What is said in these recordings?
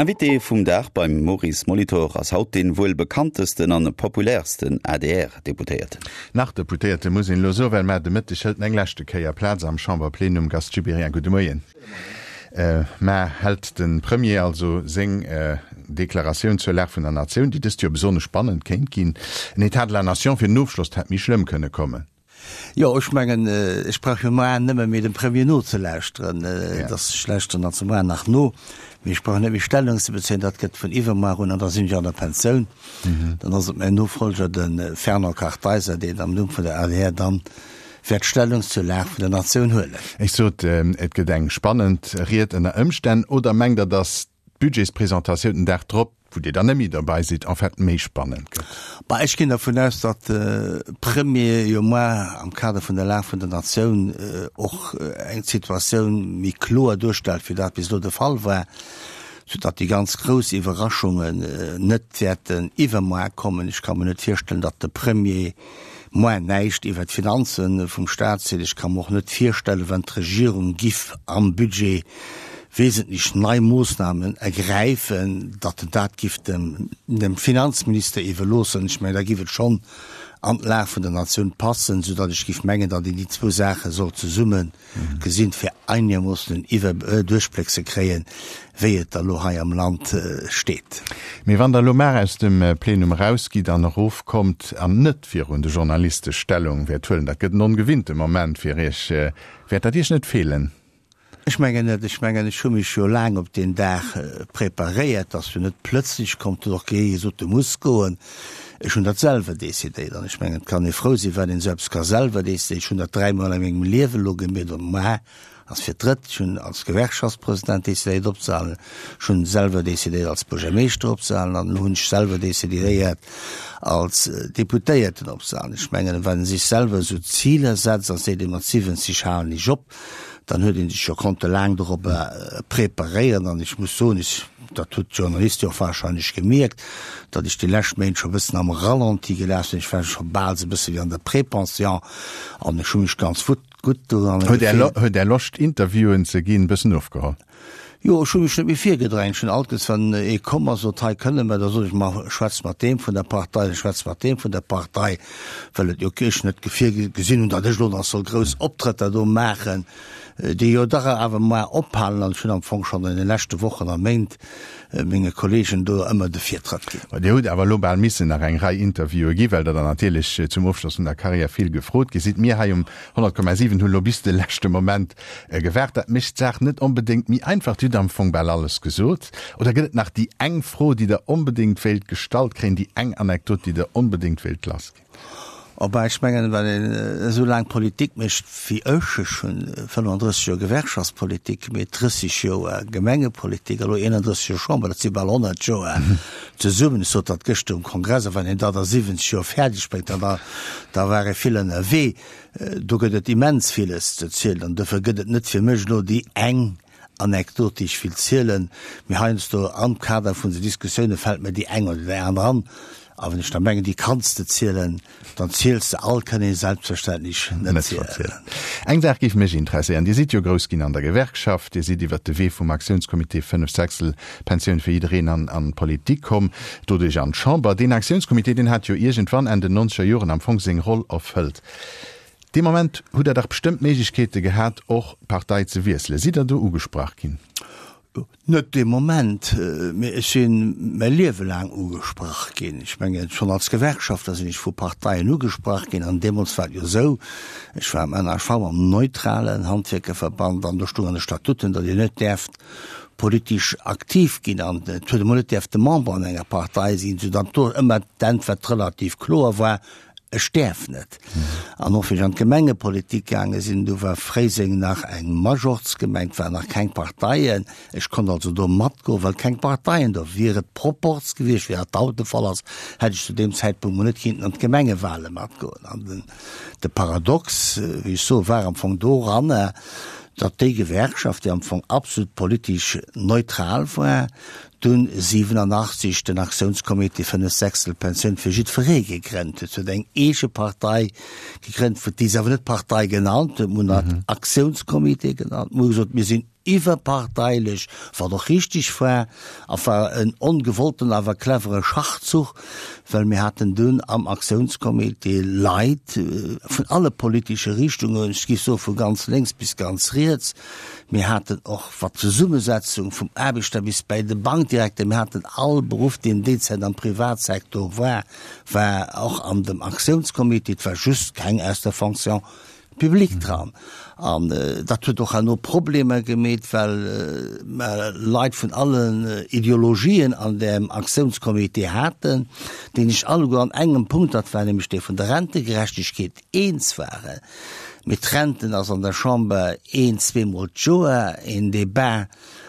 Invité vum Dag beim Maurice Molitor ass haut dee wuel bekanntesten an populärsten ADR-Deputéierten. Nach Deputéierte muss een elo soen, well mar de Mëtteg hëlt en eng leschte Kéier Plaz am Chamberplenum. Gast Gibéryen, gudde Moien. Mar hält de Premier also seng Deklaratioun zur Lag vun der Natioun, déi dëst Joer besonnesch spannend kéint ginn. En Etat de la Nation fir den Ofschloss, dat hätt méi schlëmm kënne kommen. Jo, ech mengen, ech brauch jo moar nëmme méi dem Premier nozelauschteren. Et ass, ech lauschteren also moar nach no, mee ech brauch net méi Stellung ze bezéien. Dat gëtt vun iwwermoar un an da sinn ech an der Pensioun. Dann ass et mäin Nofolger, de Fernand Kartheiser, deen am Numm vun der adr dann wäert Stellung zur Lag vun der Natioun huelen. Ech sot, et gëtt eng spannend Ried ënner Ëmstänn. Oder mengt Der, datt d'Budgetspresentatioun den Dag drop, wou Dir dann net méi derbei sidd, en fait méi spannend gëtt? Bah, ech ginn dervun aus, datt de Premier jo moar am Kader vun der Lag vun der Natioun och eng Situatioun méi kloer duerstellt, wéi dat bis elo de Fall war, soudatt déi ganz grouss Iwwerraschungen net wäerten iwwermoar kommen. Ech ka mer net virstellen, datt de Premier moar näischt iwwert d'Finanze vum Staat seet. Ech ka mer och net virstellen, wann d'Regierung giff am Budget wesentlech nei Moossnamen ergräifen, datt en dat giff dem dem Finanzminister iwwerloossen. Ech mengen, da giff et schonn an d'Lag vun der Natioun passen, soudatt ech giff mengen, datt een déi zwou Saache sollt zesumme gesinn, fir einermoossen en Iwwer Duerchbléck ze kréien, wéi et da lo hei am Land steet. Mee wann Der elo mar aus dem Plenum erausgitt an erofkommt an net virun de Journaliste Stellung wäert huelen, dat gëtt en ongewinnte Moment fir Iech, wäert dat Iech net feelen? Ech mengen net. Ech mengen, ech hu mech jo laang op deen Dag preparéiert, ass jo net plëtzlech komm, et huet och kee gesot, du muss goen. Ech hunn dat selwer decidéiert an ech mengen, et kann ee frou sinn, wann een esou eppes ka selwer decidéieren. Ech hunn dat dräimol a mengem Liewen elo gemeet an muar ass fir d'drëtt. Ech hunn als Gewerkschaftspresident decidéiert opzehalen, ech hunn selwer decidéiert als Buergermeeschter opzehalen an elo hunn ech selwer decidéiert als Deputéierten opzehalen. Ech mengen, wann ee sech selwer esou Ziler setzt a seet, ee mat 70 halen ech op, dann huet ee sech jo konnte laang dorobber preparéieren an ech muss soen, ech, dat huet d'Journaliste jo och wahrscheinlech gemierkt, datt ech déi lescht Méint scho e bëssen am Ralenti gelaf sinn. Ech war scho bal esou e bësse wéi an der Prépension an ech hu mech ganz gutt doran gefillt. Huet Är Loscht Interviewen ze ginn e bëssen ofgeholl? Jo, ech hu mech net méi virgedrängt. Ech hunn alt gesot, wann ee komm ass, sot, hei kënne mer, da sot ech, ma schwätz mat deem vun der Partei, da schwätz mat deem vun der Partei, well et jo ech net virgesinn hunn, datt ech elo nach soll grouss Optrëtter do maachen, déi jo dach awer mar ophalen. An ech hunn am Fong schonn an de leschte Wochen a Méint menge Kollegen do ëmmer de Virtrëtt ginn. Dir hutt awer elo bal missen nach eng Rei Interviewe ginn, well Der dann natierlech zum Ofschloss vun der Karriär vill gefrot gi sidd. Mir hei um 100,7 hunn elo bis de leschte Moment gewaart. Dat mécht d'Saach net onbedéngt méi einfach. Dir hutt am Fong bal alles gesot. Oder gëtt et nach déi eng Fro, déi Der onbedéngt wéilt gestallt kréien, déi eng Anekdot, déi Der onbedéngt wéilt lassginn? Oh ben, ech mengen, wann een esou laang Politik mécht wéi ech, ech hunn 35 Joer Gewerkschaftspolitik gemeet, 30 Joer Gemengepolitik a lo 31 Joer Chamber, dat si bal 100 Joer zesummen. Ech sot dat gëschter um Kongress, a wann een dat a 70 Joer fäerdeg bréngt, da da war ee vill ënnerwee. Do gëtt et immens villes ze zielen an dofir gëtt et net fir mech elo déi eng Anekdot, déi ech will zielen, mee heiansdo am Kader vun de Diskussioune fält mir déi eng oder déi aner an. A wann ech da mengen, déi kanns de zielen, dann ziels de. All kënn ee selbstverständlech net zielen. Eng Saach géif mech interesséieren, Dir sidd jo grouss ginn an der Gewerkschaft, Dir sidd iwwert de Wee vum Aktiounscomité 5 Sechstel Pensioun fir jiddereen an an d'Politik komm, doduerch an d'Chamber. Deen Aktiounscomité, deen hat jo iergendwann Enn den nonzeger Joren am Fong seng Roll erfëllt. Dee Moment hutt Der dach bestëmmt Méiglechkeete gehat, och d'Partei ze wiesselen. Sidd Der do ugesprach ginn? Net dee Moment, mee ech si mäi Liewe laang ugesprach ginn. Ech mengen, schonn als Gewerkschaftler sinn ech vu Parteien ugesprach ginn. An deemools war et jo esou, ech war am NHV, am neutralen Handwierkerverband, an do stoung an de Statuten, datt een net däerft politesch aktiv ginn an et huet emol net däerfte Member an enger Partei sinn, soudatt do ëmmer d'Äntwert relativ kloer war, Ech däerf net. An och wéi ech an d'Gemengepolitik gaange sinn, du war Fréiseng nach eng Majortsgemeng, et waren nach keng Parteien, ech konnt also do matgoen, well keng Parteien do. Wier et Proporz gewiescht, wéi dat haut de Fall ass, hätt ech zu deem Zäitpunkt mol net kinnten an d'Gemengewale matgoen. An den, de Paradox, wéi ech soe, war am Fong doranner, datt déi Gewerkschaft, déi am Fong absolut politesch neutral war, dunn 87 den Aktiounscomité 5 Sechstel Pensioun fir jiddweree gegrennt huet. Se huet eng eege Partei gegrënnt, déi se awer net Partei genannt huet, mir hunn dat Aktiounscomité genannt. Mir hu gesot, mir sinn. iwwerparteilech, wat och richtig war, a war en ongewollten awer clevere Schachzuch, well mir haten dunn am Aktiounscomité Leit vun alle politesche Richtungen, ech géif soe vu ganz lénks bis ganz riets, mir haten och wat d'Zesummesetzung vum Aarbechter bis bäi de Bankdirekter, mir haten all Beruff, deen déi Zäit am Privatsektor war, war och an dem Aktiounscomité, et war just keng aus der Fonction publique dran. An dat huet och herno Problemer gemeet, well mer Leit vun allen Ideologien an deem Aktiounscomité haten, déi sech alleguer an engem Punkt, dat war nämlech dee vun der Rentegerechtegkeet, eens waren. Mee d'Renten ass an der Chamber een, zweemol d'Joer een Débat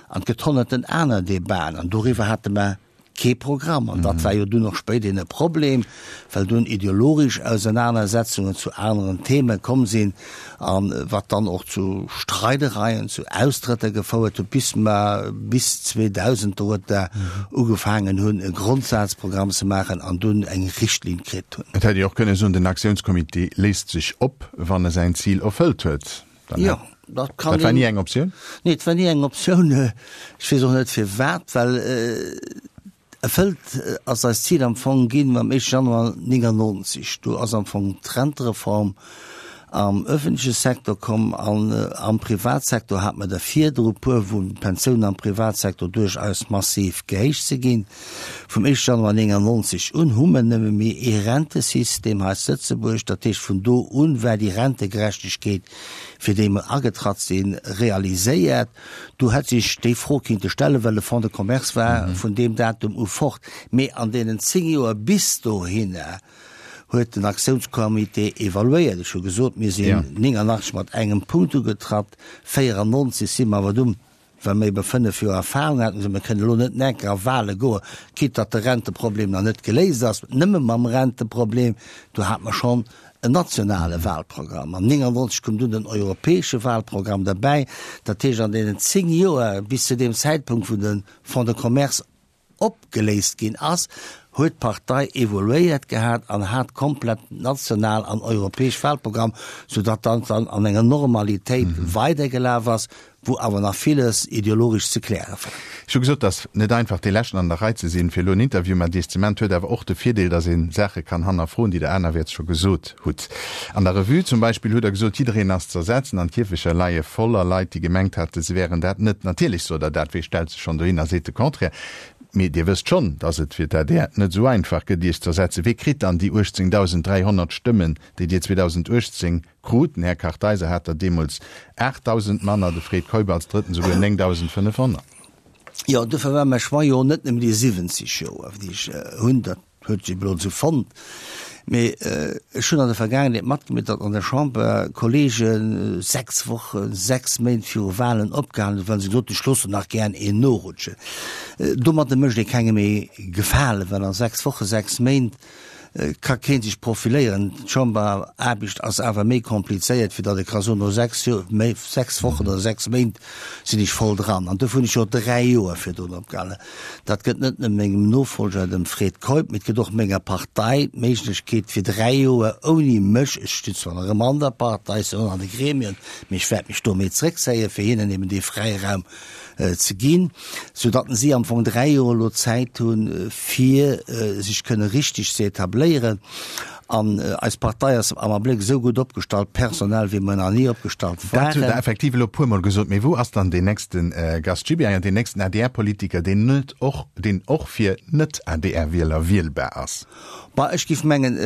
an et gëtt honnerten aner Débaten an doriwwer hate mer kee Programm. An dat war jo dunn och spéiderhin e Problem, well dunn ideologesch Ausenanersetzungen zu aneren Theme komm sinn, a wat dann och zu Streidereien, zu Austrëtter gefouert huet, bis mer bis 2000 dorueter ugefaangen hunn, e Grondsazprogramm ze maachen an dunn eng Richtlinn kritt hunn. Et hätt ee och kënne soen, den Aktiounscomité léist sech op, wann e säin Zil erfëllt huet. Dann jo, dat kann dat war ni eng Optioun? Nee, et war ni eng Optioun. Ech weess och net firwat, well erfëllt ass eist Zil am Fong ginn mam éischte Januar 99. Do ass am Fong d'Rentereform am öffentleche Secteur komm an am Privatsektor hat mer der virdru puer, wou d'Pensiounen am Privatsektor duerchaus massiv gehéicht si ginn. Vum éischte Januar 99 un hu mer nëmme méi ee Rentesystem hei zu Lëtzebuerg. Dat heescht, vun do un war déi Rentegerechtegkeet, fir déi mer agetratt sinn, realiséiert. Do hätt sech déi Fro kinnte stellen, well de Fonds de commerce war vun deem Datum u fort. Mee an deenen 10 Joer bis dohinner huet den Aktiounscomité evaluéiert. Ech hu gesot, mir sinn 89 mat engem Punkt ugetratt, 94 si mer awer dunn Well mer ebe 5 Joer Erfahrung haten, esou mer kënnen elo net nach eng Kéier a Wahle goen, quitte datt de Renteproblem nach net geléist ass, nëmme mam Renteproblem, do hate mer schonn en nationale Wahlprogramm. An 99 koum dunn den europäesche Wahlprogramm derbäi. Dat heescht, an deenen 10 Joer bis zu deem Zäitpunkt, wou de Fonds de Commerce opgeléist ginn ass, huet d'Partei evoluéiert gehat an hat komplett national an europäesch Wahlprogramm, soudatt dat dann an enger Normalitéit weidergelaf ass, wou awer nach villes ideologesch ze kläre war. Ech hu gesot, dass net einfach dee Leschten an der Rei ze sinn, fir elo en Interview mat Iech ze man. Et huet awer och de Virdeel, dass ee Saache kann hannerfroen, déi Der anerwäerts scho gesot hutt. An der Revue zum Beispill hutt Der gesot, jiddereen ass z'ersetzen an d'Kierfecher leie voller Leit, déi gemengt haten, se wären dat net. Natierlech sot Der dat, wee stellt sech schonn dohin a seet de Contraire? Mee Dir wësst schonn, datt et fir d'ADR net esou einfach gëtt, Iech z'ersetzen. Wee kritt dann déi 18.300 Stëmmen, déi Dir 2018 krut? Den Här Kartheiser hat der deemools 8.000 manner, de Fred Keup als Drëtten esouguer 9.500. Jo, dofir war mäi Choix jo net nëmmen déi 70 Joer, déi ech hunn. Dat huet sech elo esou fonnt. Mee ech hunn an der Vergaangenheet matgemierkt, datt an der Chamber Kollege 6 Wochen, 6 Méint viru Wahlen opgehalen hunn, well se gesot hunn, ech loossen nach gären een norutschen. Domadde mécht ee kengem ee Gefalen, well a 6 Wochen, 6 Méint ka kee sech profiléieren. D'Chamberaarbecht ass awer méi komplizéiert, wéi datt ee ka soen, no 6 Joer, 6 Wochen oder 6 Méint sinn ech voll dran. An dofir hunn ech jo 3 Joer virdrun opgehalen. Dat gëtt net nëmme mengem Nofolger, dem Fred Keup, mee et gëtt och menger Partei d'Méiglechkeet, fir 3 Joer ouni mech, ech stinn zwar nach ëmmer an der Partei, ech sinn och nach an de Gremien, mee ech wäert mech do méi zréckzéien, fir hinnen eben dee Fräiraum ze ginn, soudatt si am Fong 3 Joer elo Zäit hunn, fir sech kënne richteg ze etabléieren. An eis Partei ass am Abléck esou gutt opgestallt, personell, wéi mer nach ni opgestallt waren. Dat hutt Der effektiv elo e puermol gesot. Mee wou ass dann deen nächste Gast Gibéryen, deen nächsten ADR-Politiker, deen net och, deen och fir Net-ADR-Wieler wielbar ass? Bah, ech géif mengen,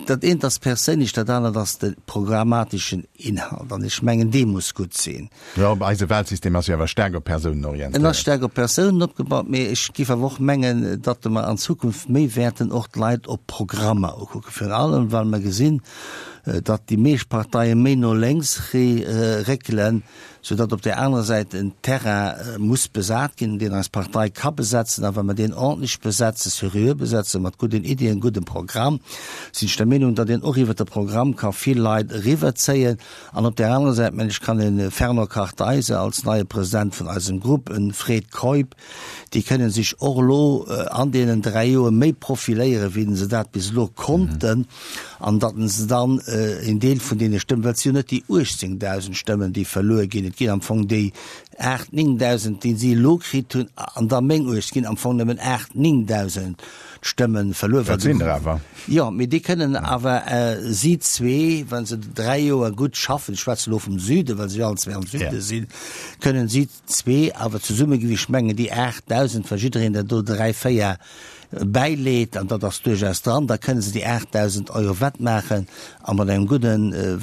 dat eent ass perséinlech, dat anert ass de programmateschen Inhalt. An ech mengen, dee muss gutt sinn. Jo, eise Wahlsystem ass jo awer staark op Persounen orientéiert. En ass staark op Persounen opgebaut, mee ech géif awer och mengen, datt mer an Zukunft méi wäerten och d'Leit op Programmer ukucken, virun allem well mer gesinn, datt déi meescht Parteie méi no lénks réckelen, soudatt op där anerer Säit en Terrain muss besat ginn, deen eis Partei ka besetzen. A wa mer deen ordentlech besetzen, seriö besetzen, mat gudden Iddien, guddem Programm, sinn ech der Meenung, datt een och iwwert de Programm ka vill Leit eriwwerzéien. An op där anerer Säit, mengen ech, kann e Fernand Kartheiser als neie President vun eisem Grupp, e Fred Keup, déi kënnen sech och elo an deenen 3 Joer méi profiléieren, wéi se dat bis elo konnten, an datt se dann. een Deel vun deene Stëmmen, well et si jo net déi 18.000 Stëmmen, déi verluer ginn, et ginn am Fong déi 8, 9.000, déi si elo kritt hunn, an da meng 8, et ginn am Fong nëmmen 8, 9.000 Stëmme verluer. Dat sinn der awer. Jo, mee déi kënnen awer si zwee, wa se dräi Joer gutt schaffen, ech schwätze elo vum Süden, well se jo allen zwee am Süde sinn, kënnen si zwee awer zesummegewicht, ech mengen déi 8.000, wa jiddereen der do dräi, véier bäileet, an dat ass duerchaus dran, da kënne se déi 8.000 Euro wettmaachen a mat engem gudde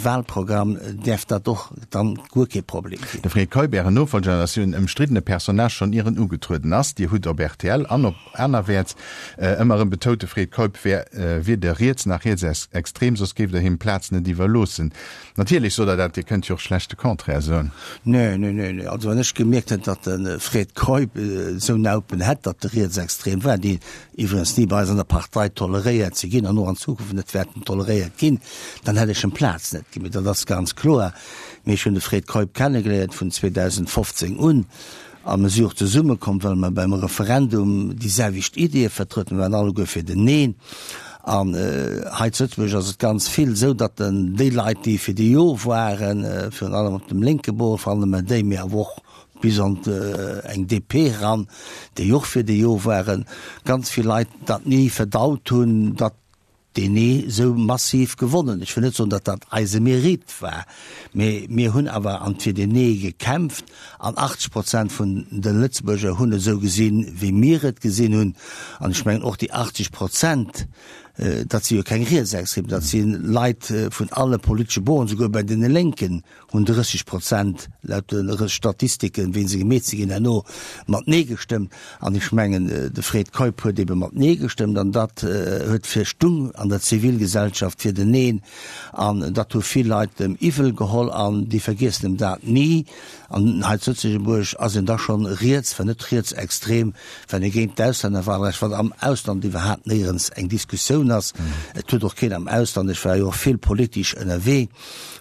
Wahlprogramm däerf dat och dann guer kee Problem ginn. De Fred Keup, Ären Nofolger, ass jo en ëmstriddene Personnage schonn ier en ugetrueden ass. Dir hutt op rtl an op anerwäerts ëmmer erëm betount, de Fred Keup wär weder riets nach rietsextrem, soss géift Der him d'Plaz net iwwerloossen. Natierlech sot Der dat, Dir kënnt jo och schlecht de Contraire soen. Nee, nee, nee, nee. Also wann ech gemierkt hätt, datt de Fred Keup esou Naupen hätt, datt e rietsextrem war, déi iwwregens ni bei eis an der Partei toleréiert si ginn an och an Zukunft net wäerten toleréiert ginn, dann hätt ech em d'Plaz net ginn. Mee dat ass ganz kloer. Mee ech hunn de Fred Keup kennegeléiert vun 2015 un a mer si och zesummekomm, well mer beim Referendum déi selwecht Ideeë vertrueden. Mer waren alleguer fir den Neen. An hei zu Lëtzebuerg ass et ganz vill esou, datt déi Leit, déi fir de Jo waren, virun allem op dem lénke Bord, virun allem déi, mee awer och bis an eng DP eran, déi och fir de Jo waren, ganz vill Leit dat ni verdaut hunn, datt deen Nee esou massiv gewonnen. Ech wëll net soen, datt dat eise Mérite war, mee mir hunn awer an fir deen Nee gekämpft an 80 Prozent vun de Lëtzebuerger hunn et esou gesinn, wéi mir et gesinn hunn. An ech mengen och déi 80 Prozent, dat si jo keng Rietsextrem, dat si Leit vun alle politesche Borden, souguer bei deene Lénken hunn 30 Prozent, laut de Statistiken, wéi se gemeet si ginn herno, mat Nee gestëmmt. An ech mengen, de Fred Keup huet ebe mat Nee gestëmmt an dat huet fir Stung an der Zivilgesellschaft fir den Neen. An dat hu vill Leit em iwwel geholl an déi vergiessen em dat ni. An hei zu Lëtzebuerg ass een da schonn riets, wann net rietsextrem, Wann ee géint d'Auslännerwahlrecht, wat am Ausland iwwerhaapt néierens eng Diskussioun ass, et huet och keen am Ausland, ech war jo och vill politesch ënnerwee,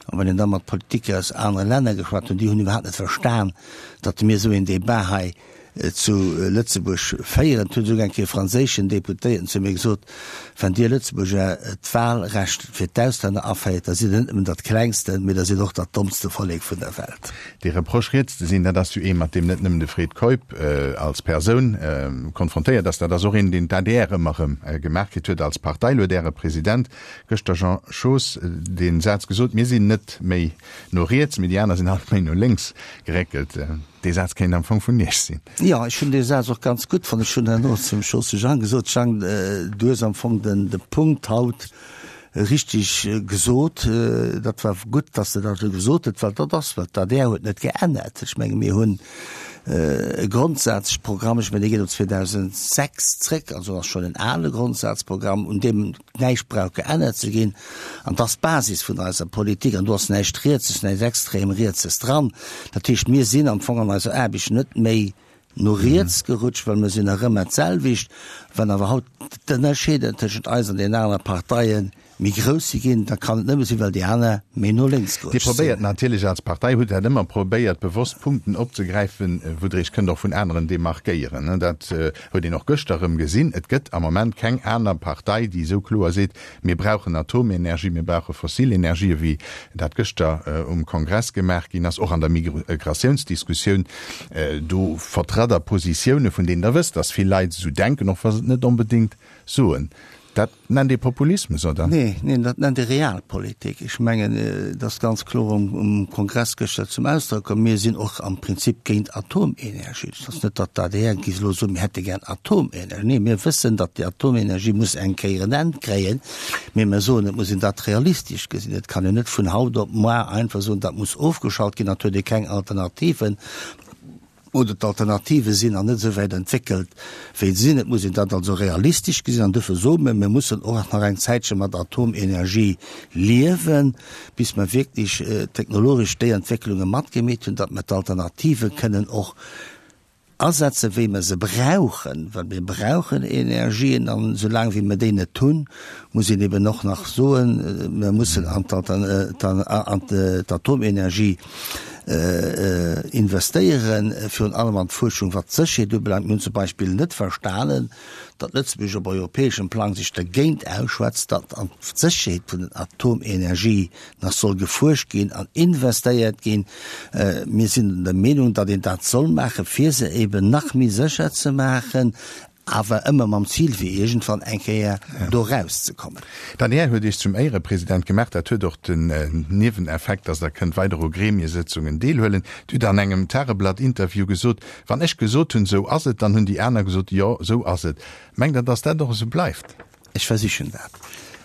an wann een da mat Politiker aus anere Länner geschwat hunn, déi hunn iwwerhaapt net verstan, datt mir esou een Débat hei zu Lëtzebuerg féieren. Et huet esouguer eng Kéier e franséischen Deputéierten zu mir gesot, Wann Dir Lëtzebuerger d'Wahlrecht fir d'Auslänner aféiert, da sidd Der net nëmmen dat klengste, mee da sidd Der och dat dommste Vollek vun der Welt. Dee Reproche riets ze sinn, dat ass jo ee mat deem net nëmmen de Fred Keup als Persoun konfrontéiert ass, dat ass och een, deen d'ADR ëmmer erëm gemaach kritt huet als Partei. Lo huet Äre President gëschter, Jean Schoos, dee Saz gesot, Mir sinn net méi no riets, mee déi aner sinn alt méi no lénks geréckelt. Dee Saz kéint am Fong vun Iech sinn. Jo, ech hunn dee Saz och ganz gutt fonnt. Ech hunn herno zum Schoos Jang gesot, Jang, du hues am Fong den Punkt haut richteg gesot. Dat war gutt, datt s de dat esou gesot huet, well dat ass wat d'ADR huet net geännert. Ech menge mir hunn e Grondsazprogramm, ech mengen dee geet op 2006 zréck, also ass schonn en ale Grondsazprogramm, un deem näischt brauch geännert ze ginn. An dat ass d'Basis vun eiser Politik an do ass näischt Rietses, näischt extrem Rietses dran. Dat heescht, mir sinn am Fong an eiser Aarbecht net méi no riets gerutscht, well mir sinn nach ëmmer d'selwecht. Wann awer haut d'Ënnerscheeder tëschent eis an deenen anere Parteie méi grouss si ginn, da kann et nëmme sinn, well déi aner méi no lénks Dir gerutscht sinn. probéiert natierlech als Partei, hutt dat ëmmer probéiert, bewosst Punkten opzegräifen, wou Der Iech kënnt och vun aneren demarkéieren. Dat huet een och gëschter erëm gesinn. Et gëtt am Moment keng aner Partei, déi esou kloer seet, Mir brauchen Atomenergie, mir brauche fossil Energien, wéi dat gëschter um Kongress gemaach ginn ass, och an der Migratiounsdiskussioun. Do vertratt Der Positioune, vun deenen Der wësst, datt vill Leit esou denken, och wa se et net onbedéngt soen. Dat nennt ee Populismus, oder? Nee, neen, dat nennt ee Realpolitik. Ech mengen, et ass ganz kloer um Kongress gëschter zum Ausdrock komm, mir sinn och am Prinzip géint Atomenergie. Et ass net, datt d'ADR géif elo soen, mir hätte gär Atomenergie. Nee, mir wëssen, datt déi Atomenergie muss eng Kéier en Enn kréien, mee mir soen, et muss een dat realistesch gesinn. Et kann een net vun haut op moar einfach soen, dat muss ofgeschalt ginn, dat huet ee keng Alternativen oder d'Alternative sinn nach net esou wäit entwéckelt, wéi se sinn. Et muss een dat also realistesch gesinn an duerfir soe mir, mir mussen och nach eng Zäitche mat Atomenergie liewen, bis mer wierklech technologesch déi Entwécklunge matgemeet hunn, datt mer d'Alternative kënnen och asetzen, wéi mer se brauchen, well mir brauchen Energien an esoulaang wéi mer déi net hunn, muss een eben och nach soen, mir mussen an d'Atomenergie. Investéieren, virun allem an d'Fuerschung wat d'Sécherheet ubelaangt. Mir hunn zum Beispill net verstanen, datt Lëtzebuerg op europäeschem Plang sech dergéint ausschwätzt, datt an d'Sécherheet vun den Atomenergie nach soll gefuerscht ginn an investéiert ginn. Mir sinn der Meenung, datt een dat soll maachen, fir se eben nach méi sécher ze maachen, awer ëmmer mam Zil, fir iergendwann eng Kéier do erauszekommen. D'ADR huet Iech zum Éierepresident gemaach. Dat huet och den Nieweneffekt, datt Der kënnt weider u Gremiesëtzungen deelhuelen. Dir hutt an engem Tageblatt-Interview gesot, Wann ech gesot hunn, esou ass et, dann hunn déi aner gesot, jo, esou ass et. Mengt Der, datt dat och esou bleift? Ech versichen dat.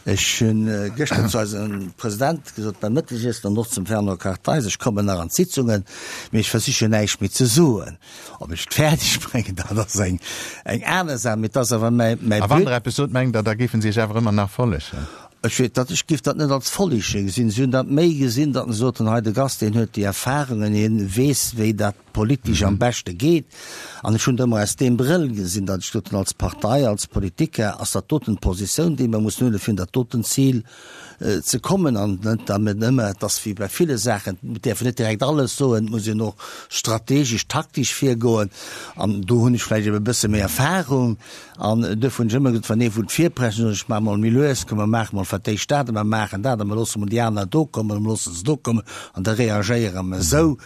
Ech hu gëschter zu eisem President gesot beim Mëttegiessen an och zum Fernand Kartheiser, ech kommen nach an d'Sitzungen, mee ech versichen näischt méi ze soen. Ob ech et fäerdeg bréngen, dat ass eng aner Saach, mee et ass awer mäi But. A wann Der eppes sot, mengt Der, da géife se Iech awer ëmmer nach follegen? Ech weess dat, ech géif dat net als Follege gesinn. Si hunn dat méi gesinn, datt se soten, hei de Gast, deen huet déi Erfahrungen, hien weess, wéi dat politesch am beschte geet. An ech hunn et ëmmer aus deem Brëll gesinn, datt ech gesot hunn, als Partei, als Politiker ass dat doten d'Positioun, déi mer mussen huelen, fir un dat doten Zil ze kommen. An net damit ëmmer, et ass wéi bei ville Saachen, et däerf een net direkt alles soen, et muss een och strategesch, taktesch virgoen. An do hunn ech vläicht ebe e bësse méi Erfahrung. An duerfir hunn ech ëmmer gesot, wann ee wullt virpreschen, soen ech, maach mol méi lues, komm mer maache mol fir d'éischt dat a mer maachen dat a mer loosse mol déi aner do kommen a mer loosse se do kommen an da reagéiere mer esou.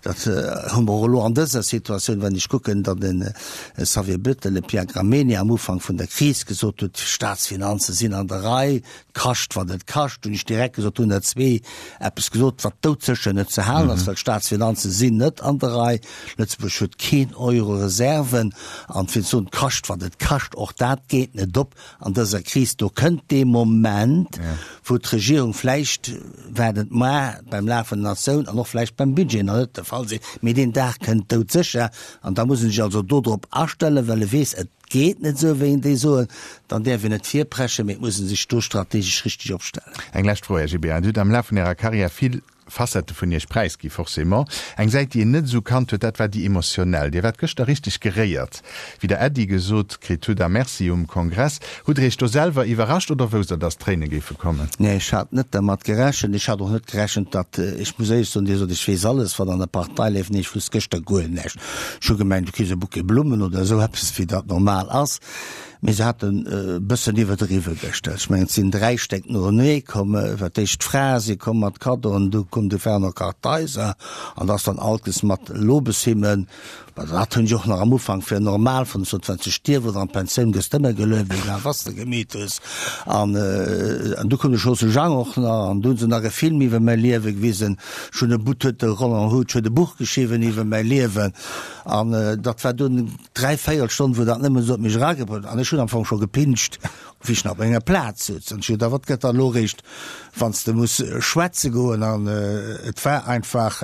Dat hu mer och elo an dëser Situatioun, wann ech kucken, datt de Xavier Bettel, de Pierre Gramegna am Ufank vun der Kris gesot huet, d'Staatsfinanze sinn an der Rei, et kascht wat et kascht, hunn ech direkt gesot, hunn der zwee eppes gesot, wat doudsécher net ze halen ass, well d'Staatsfinanze sinn net an der Rei. Lëtzebuerg huet keen Euro Reserven. An fir ze soen, et kascht wat et kascht, och dat geet net op. An dëser Kris, do kënnt dee Moment, wou d'Regierung vläicht, wat et mar beim Laf vun der Natioun an och vläicht beim Budget nach net de Fall sinn, mee deen Dag kënnt doudsécher an da muss en sech also dodrop astellen, well e weess, et geet net esou, wéi en déi soen, dann däerf een net virpreschen, mee et muss e sech do strategesch richteg opstellen. Eng lescht Fro, Här Gibéryen. Dir hutt am Laf vun Ärer Karriär vill Facette vun Iech präisgi, forcément. Eng Säit, déi een net esou kannt huet, dat war déi emotionell. Dir waart gëschter richteg geréiert, wéi Der Äddi gesot kritt hutt a Merci um Kongress. Hutt Der Iech do selwer iwwerrascht oder wousst Der, dass d'Tréine géife kommen? Nee, ech hat net dermat gerechent. Ech hat och net gerechent, datt, ech muss éierlech soen, Dir sot, ech weess alles, wat an der Partei leeft. Nee, ech wousst gëschter guer näischt. Ech hu gemengt, du kriss e Bouquet Blummen oder esou eppes, wéi dat normal ass. Mee se haten e bëssen iwwerdriwwe gëschter. Ech mengen, et sinn 3 Stéck noenee komm. Fir d'éischt d'Frae si komm mat Kaddoen, du koum de Fernand Kartheiser an da ass dann Alkes mat Lobeshymnen. Bon, dat hunn ech och nach am Ufank fir normal fonnt. Ech sot, Wann s de stierf oder an d'Pensioun gëss d'ëmmer gelueft, egal wat s de gemeet hues. An du koum de Josy Jang och nach an du hunn se nach e Film iwwer mäi Liewe gewisen. Ech hunn e But huet de Roland Huth huet e Buch geschriwwen iwwer mäi Liewen an dat war dunn 3 véierel Stonn, wou dat nëmmen esou op mech eragebrëllt an ech hunn am Fong scho gepinscht, wéi ech nach op menger Plaz souz. An ech hu gedacht, wat gëtt da elo eréischt, wann s de muss schwätze goen. An et war einfach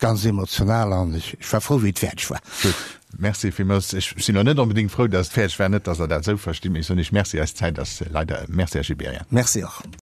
ganz emotional an ech war frou, wéi et fäerdeg war. Gutt, Merci villmools. Ech sinn elo net onbedéngt frou, datt et fäerdeg war, net datt Der dat esou verstitt, mee ech soen Iech Merci. Eis Zäit ass leider ëm. Merci, Här Gibéryen. Merci och.